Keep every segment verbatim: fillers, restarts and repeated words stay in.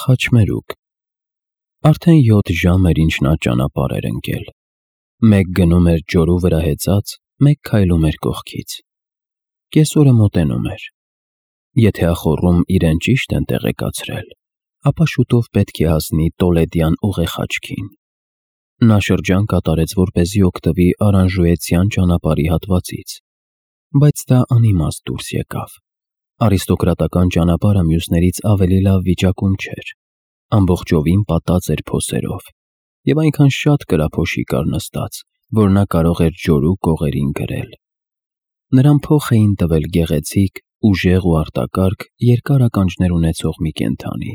Խաչմերուկ։ Արդեն յոթ ժամ էր, ինչ նա ճանապարհ էր ընկել։ Մեկ գնում էր ջորու վրա հեծած, մեկ քայլում էր կողքից։ Կեսօրը մոտենում էր։ Եթե ախոռում իրեն ճիշտ են տեղեկացրել, ապա շուտով պետք է հասնի Տոլեդյան ուղեխաչքին։ Նա շրջան կատարեց, որպեսզի օգտվի Արանժուեցյան ճանապարհի հատվածից, բայց դա անիմաստ դուրս եկավ։ Արիստոկրատական ճանապարհը մյուսներից ավելի լավ վիճակում չէր, ամբողջովին պատած էր փոսերով, և այնքան շատ կրափոշի կար նստած, որ նա կարող էր ջորու կողերին գրել։ Նրան փոխ էին տվել գեղեցիկ, ուժեղ ու արտակարգ երկար ականջներ ունեցող մի կենդանի,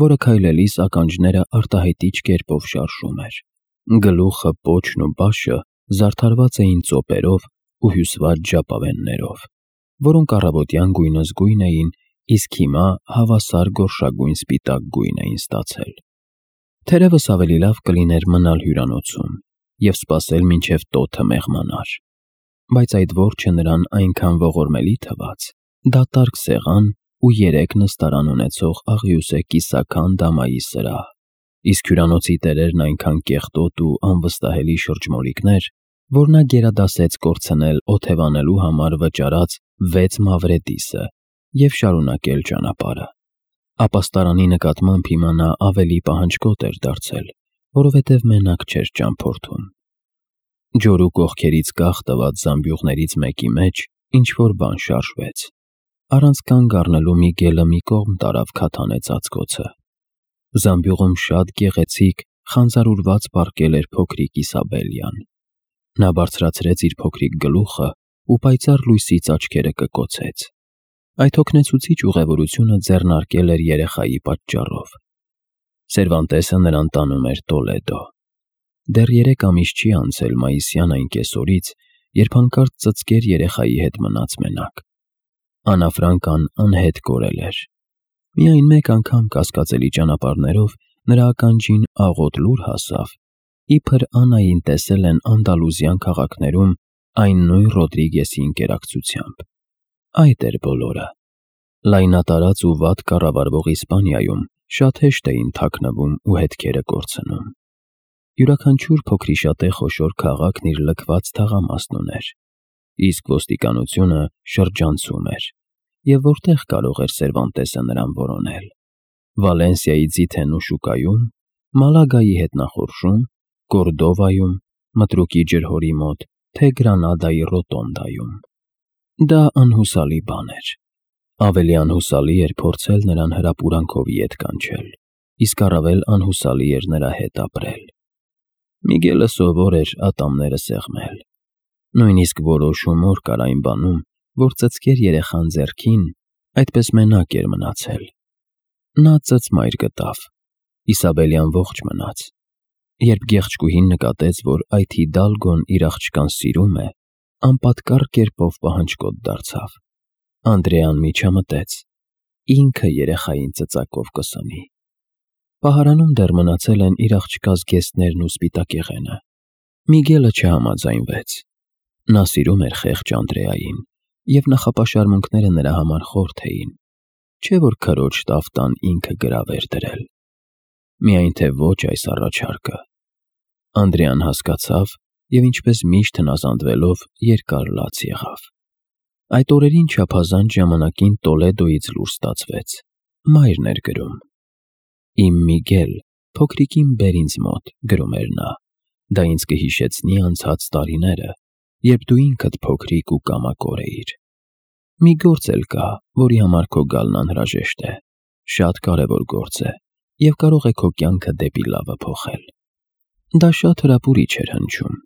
որը քայլելիս ականջները արտահայտիչ կերպով շարժում էր։ Գլուխը, պոչն ու բաշը զարդարված էին ծոպերով ու հյուսված ժապավեններով, որոնք առավոտյան գույնզգույն էին, իսկ հիմա հավասար գորշագույն սպիտակ գույն էին ստացել։ Թերևս ավելի լավ կլիներ մնալ հյուրանոցում և սպասել մինչև տոթը մեղմանար, բայց այդ որջը նրան այնքան ողորմելի թվաց, դատարկ սեղան ու երեք նստարան ունեցող աղյուսե կիսաքան դամայի սրահ, իսկ հյուրանոցի տերերն այնքան կեղտոտ ու անվստահելի շրջմոլիկներ, որ նա գերադասեց կորցնել օթևանելու համար վճարած վեց մավրետիսը և շարունակել ճանապարհը։ Ապաստարանի նկատմամբ հիմա նա ավելի պահանջկոտ էր դարձել, որովհետև մենակ չէր ճամփորդում։ Ջորու կողքերից կախ տված զամբյուղներից մեկի մեջ ինչ-որ բան շարժվեց։ Առանց կանգ առնելու Միգելը մի կողմ տարավ քաթանե ծածկոցը։ Զամբյուղում շատ գեղեցիկ, խանձարուրված պառկել էր փոքրիկ Իսաբելյան։ Նա բարձրացրեց իր փոքրիկ գլուխը ու պայծառ լույսից աչքերը կկոցեց։ Այդ հոգնեցուցիչ ուղևորությունը ձեռնարկել էր երեխայի պատճառով։ Սերվանտեսը նրան տանում էր Տոլեդո։ Դեռ երեք ամիս չի անցել մայիսյան այն կեսօրից, երբ հանկարծ ծծկեր երեխայի հետ մնաց մենակ։ Աննա Ֆրանկան անհետ կորել էր։ Միայն մեկ անգամ կասկածելի ճանապարհներով նրա ականջին աղոտ լուր հասավ, իբր Աննային տեսել են Անդալուզյան քաղաքներում այն նույն Ռոդրիգեսի ընկերակցությամբ։ Այդ էր բոլորը։ Լայնատարած ու վատ կառավարվող Իսպանիայում շատ հեշտ էին թաքնվում ու հետքերը կորցնում։ Յուրաքանչյուր փոքրիշատե խոշոր քաղաքն իր լքված թաղամասն ուներ, իսկ ոստիկանությունը շրջանցում էր, և որտեղ կարող էր Սերվանտեսը նրան որոնել։ Վալենսիայի ձիթենու շուկայում, Մալագայի հետ նախորժում, Կորդովայում, Մտրուկի ջրհորի մոտ, թե Գրանադայի ռոտոնդայում։ Դա անհուսալի բան էր։ Ավելի անհուսալի էր փորձել նրան հրապուրանքով ետ կանչել, իսկ առավել անհուսալի էր նրա հետ ապրել։ Միգելը սովոր էր ատամները սեղմել։ Նույնիսկ որոշ հումոր կար այն բանում, որ ծծկեր երեխան ձեռքին, այդպես մենակ էր մնացել։ Նա ծծմայր գտավ։ Իսաբելյան ողջ մնաց։ Երբ գեղեցկուհին նկատեց, որ այդ Հիդալգոն իր աղջկան սիրում է, անպատկառ կերպով պահանջկոտ դարձավ։ Անդրեան միջամտեց. ինքը երեխային ծծակով կսնի։ Պահարանում դեռ մնացել են իր աղջկա զգեստներն ու սպիտակեղենը։ Միգելը չհամաձայնվեց։ Նա սիրում էր խեղճ Անդրեային, և նախապաշարմունքները նրա համար խորթ էին, չէ՞ որ քրոջ տաֆտան ինքը գրավ էր դրել։ Միայն թե ոչ այս առաջարկը։ Անդրեան հասկացավ և ինչպես միշտ հնազանդվելով երկար լաց եղավ։ Այդ օրերին չափազանց ժամանակին Տոլեդոյից լուր ստացվեց։ Մայրն էր գրում. «Իմ Միգել, փոքրիկին բեր ինձ մոտ», գրում էր նա, «դա ինձ կհիշեցնի անցած տարիները, երբ դու ինքդ փոքրիկ ու կամակոր էիր։ Մի գործ էլ կա, որի համար քո գալն անհրաժեշտ է, շատ կարևոր գործ է և կարող է քո կյանքը դեպի լավը փոխել»։ Դա շատ հրապուրիչ էր հնչում։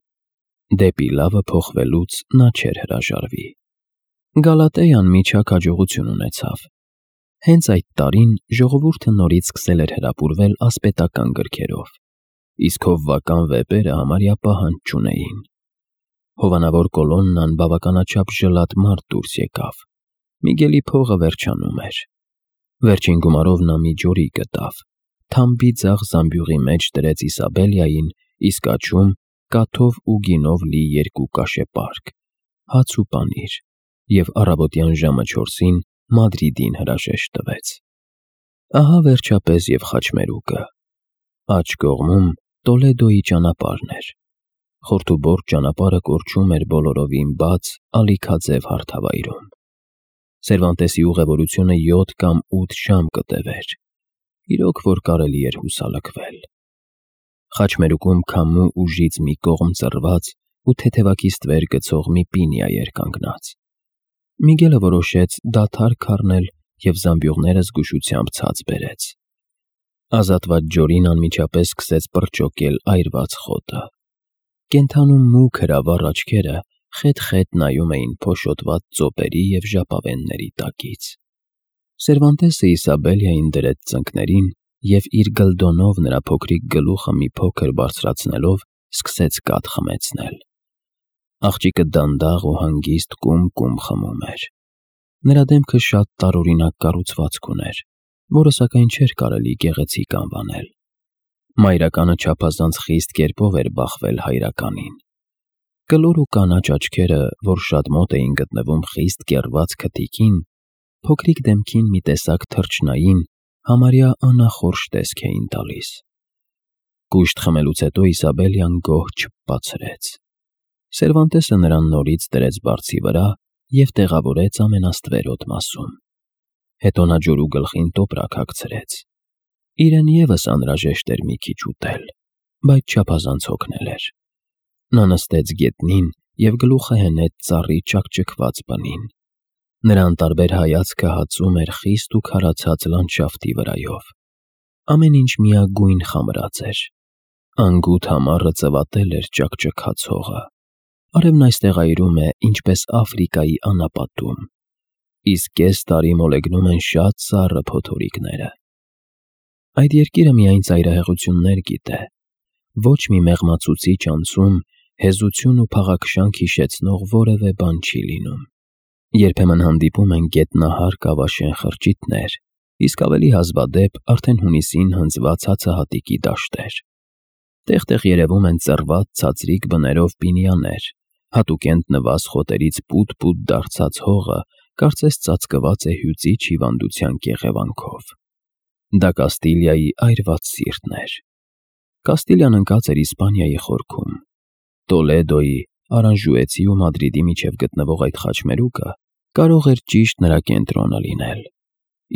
Դեպի լավը փոխվելուց նա չէր հրաժարվի։ Գալատեան միջակ հաջողություն ունեցավ։ Հենց այդ տարին ժողովուրդը նորից սկսել էր հրապուրվել ասպետական գրքերով, իսկ հովվական վեպերը համարյա պահանջ չունեին։ Հովանավոր Կոլոննան բավականաչափ ժլատ մարդ դուրս եկավ։ Միգելի փողը վերջանում էր։ Վերջին գումարով նա մի ջորի գտավ, թամբի ձախ զամբյուղի մեջ դրեց Իսաբելյային, իսկ աջում կաթով ու գինով լի երկու կաշե պարկ, հաց ու պանիր, և առավոտյան ժամը չորսին Մադրիդին հրաժեշտ տվեց։ Ահա վերջապես և խաչմերուկը։ Աջ կողմում Տոլեդոյի ճանապարհն էր։ Խորթուբորդ ճանապարհը կորչում էր բոլորովին բաց, ալիքաձև հարթավայրում։ Սերվանտեսի ուղևորությունը յոթ կամ ութ ժամ կտևեր։ Իրոք որ կարելի էր հուսալքվել։ Խաչմերուկում քամու ուժից մի կողմ ծռված ու թեթևակի ստվեր գցող մի պինիա էր կանգնած։ Միգելը որոշեց դադար քառնել և զամբյուղները զգուշությամբ ցած բերեց։ Ազատված ջորին անմիջապես սկսեց պրճոկել այրված խոտը։ Կենդանու մուգ հրավառ աչքերը խետ-խետ նայում էին փոշոտված ծոպերի և ժապավենների տակից։ Սերվանտեսը Իսաբելիային դրեց ծնկներին և իր գլդոնով նրա փոքրիկ գլուխը մի փոքր բարձրացնելով սկսեց կաթ խմեցնել։ Աղջիկը դանդաղ ու հանգիստ կում-կում խմում էր։ Նրա դեմքը շատ տարօրինակ կառուցվածք ուներ, որը սակայն չէր կարելի գեղեցիկ անվանել։ Մայրականը չափազանց խիստ կերպով էր բախվել հայրականին։ Կլոր ու կանաչ աչքերը, որ շատ մոտ էին գտնվում խիստ կեռված քթիկին, փոքրիկ դեմքին մի տեսակ թռչնային, համարյա անախորժ տեսք էին տալիս։ Կուշտ խմելուց հետո Իսաբելյան գոհ չփպացրեց։ Սերվանտեսը նրան նորից դրեց բարձի վրա և տեղավորեց ամենաստվերոտ մասում։ Հետո նա ջորու գլխին տոպրակ հագցրեց։ Իրեն ևս անհրաժեշտ էր մի քիչ ուտել, բայց չափազանց հոգնել էր։ Նա նստեց գետնին և գլուխը հենեց ծառի ճաքճքված բնին։ Նրա անտարբեր հայացքը հածում էր խիստ ու քարացած լանդշաֆտի վրայով։ Ամեն ինչ միագույն խամրած էր։ Անգութ համառը ծվատել էր ճաքճքած հողը։ Արևն այստեղ այրում է, ինչպես Աֆրիկայի անապատում, իսկ կես տարի մոլեգնում են շատ սառը փոթորիկները։ Այդ երկիրը միայն ծայրահեղություններ գիտե։ Ոչ մի մեղմացուցիչ անցում, հեզություն ու փաղաքշանք հիշեցնող որևէ բան չի լինում։ Երբեմն հանդիպում են գետնահար կավաշեն խրճիթներ, իսկ ավելի հազվադեպ արդեն հունիսին հնձված հացահատիկի դաշտեր։ Տեղ-տեղ երևում են ծռված ցածրիկ բներով պինիաներ, հատուկենտ նվազ խոտերից պուտ-պուտ դարձած հողը կարծես ծածկված է հյուծիչ հիվանդության կեղևանքով։ Դա Կաստիլիայի այրված սիրտն էր։ Կաստիլիան ընկած էր Իսպանիայի խորքում։ Տոլեդոյի, Արանժուեցի ու Մադրիդի միջև գտնվող այդ խաչմերուկը կարող էր ճիշտ նրա կենտրոնը լինել,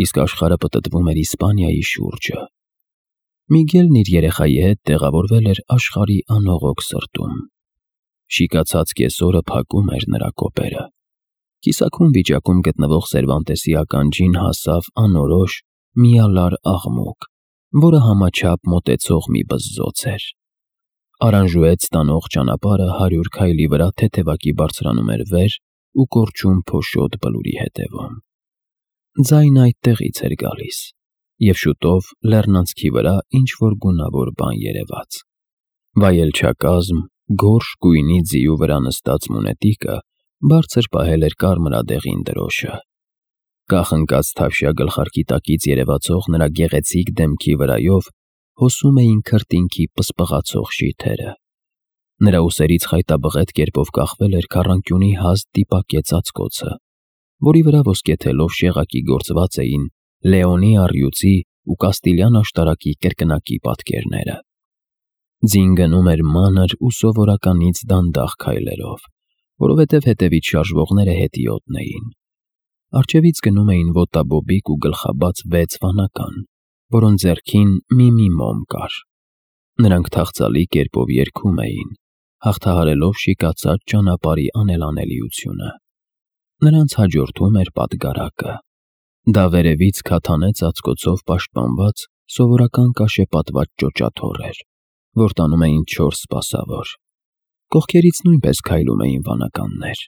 իսկ աշխարհը պտտվում էր Իսպանիայի շուրջը։ Միգելն իր երեխայի հետ տեղավորվել էր աշխարհի անողոք սրտում։ Շիկացած կեսօրը փակում էր նրա կոպերը։ Կիսաքուն վիճակում գտնվող Սերվանտեսի ականջին հասավ անորոշ, միալար աղմուկ, որը համաչափ մոտեցող մի բզզոց էր։ Արանժուեց տանող ճանապարհը հարյուր քայլի վրա թեթևակի բարձրանում էր վեր ու կորչում փոշոտ բլուրի հետևում։ Ձայնը այդտեղից էր գալիս, և շուտով լեռնանցքի վրա ինչ-որ գունավոր բան երևաց։ Վայելչակազմ, գորշ գույնի ձիու վրա նստած մունետիկը բարձր պահել էր կարմրադեղին դրոշը։ Կախ ընկած թավշյա գլխարկի տակից երևացող նրա գեղեցիկ դեմքի վրայով հոսում էին քրտինքի պսպղացող շիթերը։ Նրա ուսերից խայտաբղետ կերպով կախվել էր քառանկյունի հաստ տիպակե ծածկոցը, որի վրա ոսկեթելով շեղակի գործված էին Լեոնի առյուծի ու Կաստիլյան աշտարակի կրկնակի պատկերները։ Ձին գնում էր մանր ու սովորականից դանդաղ քայլերով, որովհետև հետևից շարժվողները հետիոտն էին։ Առջևից գնում էին ոտաբոբիկ ու գլխաբաց վեց վանական, որոնց ձեռքին մի-մի մոմ կար։ Նրանք թախծալի կերպով երգում էին, հաղթահարելով շիկացած ճանապարհի անելանելիությունը։ Նրանց հաջորդում էր պատգարակը։ Դա վերևից քաթանե ծածկոցով պաշտպանված սովորական կաշեպատված ճոճաթոռ էր, որ տանում էին չորս սպասավոր։ Կողքերից նույնպես քայլում էին վանականներ։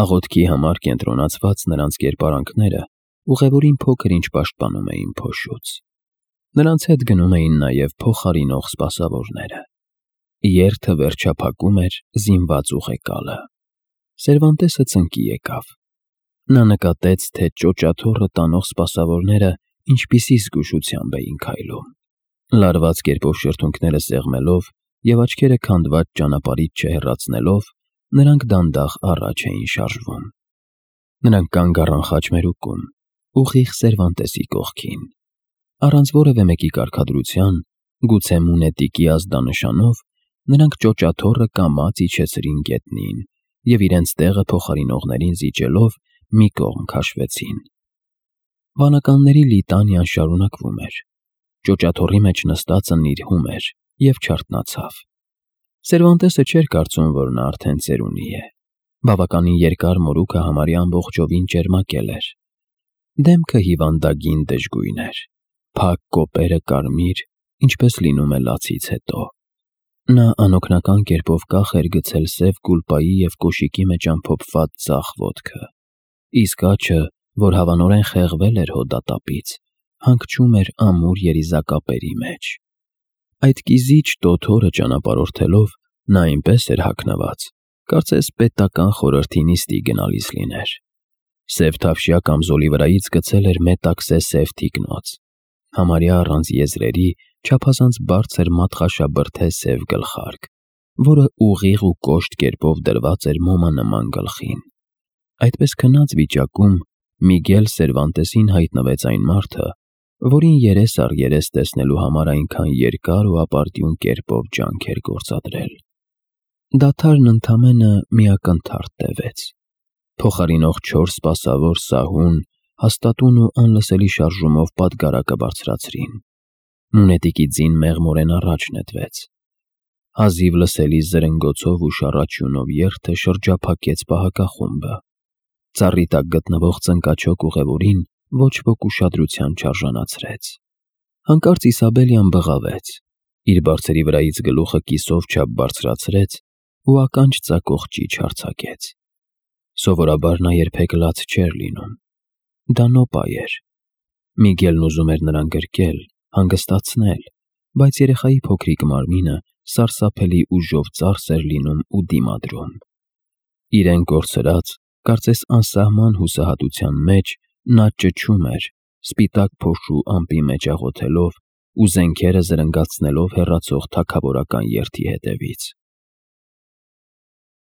Աղոթքի համար կենտրոնացված նրանց կերպարանքները ուղևորին փոքր-ինչ պաշտպանում էին փոշուց։ Նրանց հետ գնում էին նաև փոխարինող սպասավորները։ Երթը վերջափակում էր զինված ուղեկալը։ Սերվանտեսը ծնկի եկավ։ Նա նկատեց, թե ճոճաթոռը տանող սպասավորները ինչպիսի զգուշությամբ էին քայլում։ Լարված կերպով շրթունքները սեղմելով և աչքերը քանդված ճանապարհից չհեռացնելով, նրանք դանդաղ առաջ էին շարժվում։ Նրանք կանգ առան խաչմերուկում, ուղիղ Սերվանտեսի կողքին։ Առանց որևէ մեկի կարգադրության, գուցե մունետիկի ազդանշանով, նրանք ճոճաթոռը կամաց իջեցրին գետնին և իրենց տեղը փոխարինողներին զիջելով մի կողմ քաշվեցին։ Վանականների լիտանիան շարունակվում էր։ Ճոճաթոռի մեջ նստածը նիրհում էր և չարթնացավ։ Սերվանտեսը չէր կարծում, որ նա արդեն ծերունի է։ Բավականին երկար մորուքը համարյա ամբողջովին ճերմակել էր։ Դեմքը հիվանդագին դժգույն էր, փակ կոպերը կարմիր, ինչպես լինում է լացից հետո։ Նա անօգնական կերպով կախ էր գցել սև կուլպայի և կոշիկի մեջ ամփոփված ձախ ոտքը, իսկ աջը, որ հավանորեն խեղվել էր հոդատապից, հանգչում էր ամուր երիզակապերի մեջ։ Այդ կիզիչ տոթ օրը ճանապարհորդելով նա այնպես էր հագնված, կարծես պետական խորհրդի նիստի գնալիս լիներ։ Սև թավշյա կամզոլի վրայից գցել էր մետաքսե սև թիկնոց, համարյա առանց եզրերի, չափազանց բարձր մատխաշաբրդե սև գլխարկ, որը ուղիղ ու կոշտ կերպով դրված էր մոմանման գլխին։ Այդպես քնած վիճակում Միգել Սերվանտեսին հայտնվեց այն մարդը, որին երես առ երես տեսնելու համար այնքան երկար ու ապարդյուն կերպով ջանք էր գործադրել։ Դադարն ընդամենը մի ակնթարթ տևեց։ Փոխարինող չորս սպասավոր սահուն, հաստատուն ու անլսելի շարժումով պատգարակը բարձրացրին։ Մունետիկի ձին մեղմորեն առաջ նետվեց։ Հազիվ լսելի զրնգոցով ու շառաչյունով երթը շրջափակեց պահակախումբը։ Ծառի տակ գտնվող ծնկաչոք ուղևորին ոչ ոք ուշադրության չարժանացրեց։ Հանկարծ Իսաբելյան բղավեց, իր բարձրի վրայից գլուխը կիսով չափ բարձրացրեց ու ականջ ծակող ճիչ արձակեց։ Սովորաբար նա երբեք լաց չէր լինում։ Դա նոպա էր։ Միգելն ուզում էր նրան գրկել, հանգստացնել, բայց երեխայի փոքրիկ մարմինը սարսափելի ուժով ծարս էր լինում ու դիմադրում։ Իրեն կորցրած, կարծես անսահման հուսահատության մեջ, նա ճչում էր, սպիտակ փոշու ամպի մեջ աղոթելով ու զենքերը զրնգացնելով հեռացող թագավորական երթի հետևից։